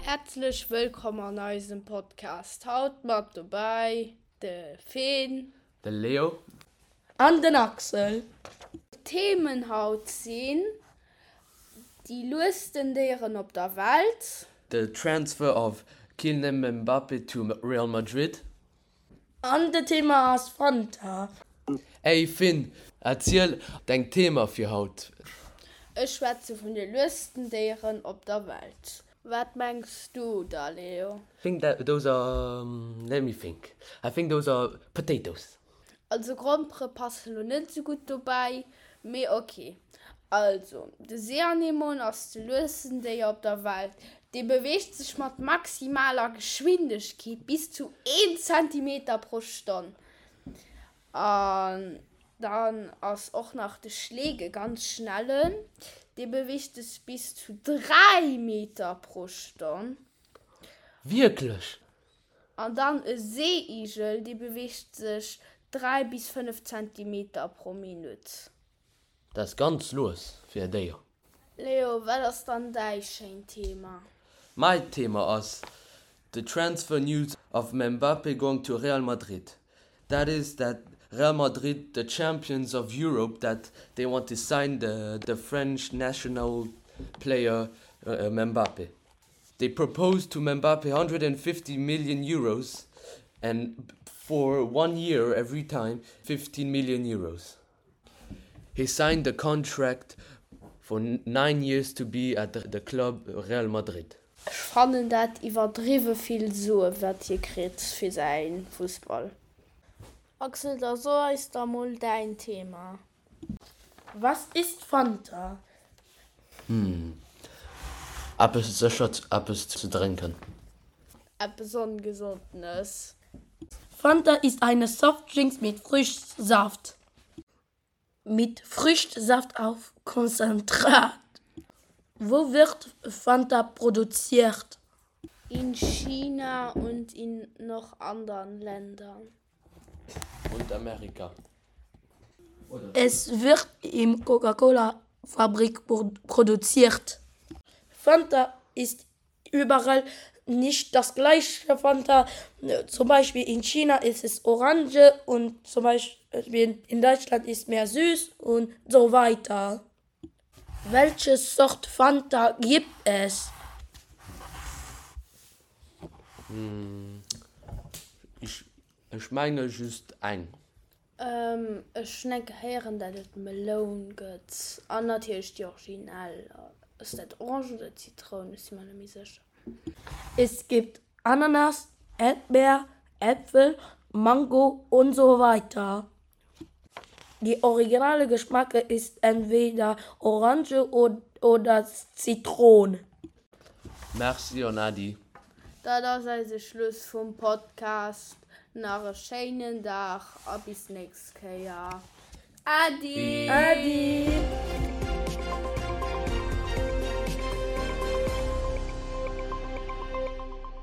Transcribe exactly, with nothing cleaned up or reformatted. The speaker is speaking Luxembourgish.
Häerzlech wëllkomm an eisem Podcast. Haut mat dobäi de Finn. De Leo. An den Axel. D'Themen haut sinn, déi luesten Déieren op der Welt. The transfer of Kylian Mbappe to Real Madrid. An de Thema ass Fanta. Ey Finn, erziel däin Thema fir haut. Ech schwätze vun de luesten Déieren op der Welt. Wat mengs du da, Leo? Think that those are um, let me think. I think those are potatoes. Also Grompere passen lo net sou gutt dobäi, mee ok. Also, de Seeanemon ass de luesten Déier op der Welt. Dee beweegt sech mat maximaler Geschwindegkeet bis zu een Zentimeter pro Stonn. An dann ass och nach de Schleek e ganz schnellen, dee beweegt sech bis zu dräi Meter pro Stonn. Wierklech? An dann e Seeigel, dee beweegt sech dräi bis fënnef Zentimeter pro Minutt. Dat ass ganz lues fir e Déier. Leo, wat ass dann däi schéint Thema? Mäi Thema ass the transfer news of Mbappe going to Real Madrid. That is that Real Madrid, the champions of Europe, that they want to sign the, the French national player uh, Mbappe. They proposed to Mbappe hundred and fifty million euros and for one year every time fifteen million euros. He signed the contract for nine years to be at the, the club Real Madrid. Ech fannen dat iwwerdriwwe vill Sue wat hie kritt fir säin Fussball. Axel, da so eis da mol däin Thema. Was ist Fanta? Hm. Eppes sécher eppes ze drénken. Eppes Ongesondes. Fanta ist eine Softdrinks mit Früchtsaft. Mit Früchtsaft auf Konzentrat. Wo wird Fanta produziert? In China und in noch anderen Ländern. Und Amerika. Es wird im Coca-Cola-Fabrik produziert. Fanta ist überall nicht das gleiche Fanta. Zum Beispiel in China ist es Orange und zum Beispiel in Deutschland ist mehr süß und so weiter. Welche Sort Fanta gibt es? Hm. Ech, ech menge just eng. Ähm, ech hunn eng Kéier héieren, dat et Meloun gëtt. An natierlech déi originell. Ass dat Orange oder Zitroun? Ech si mer net méi sécher. Es gibt Ananas, Erdbeer, Äpfel, Mango und so weiter. Die originale Geschmacke ist entweder Orange oder Zitrone. Merci an Äddi. Dat ass eise Schluss vum Podcast. Nach e schéinen Dag a bis nächst Kéier. Äddi! Äddi!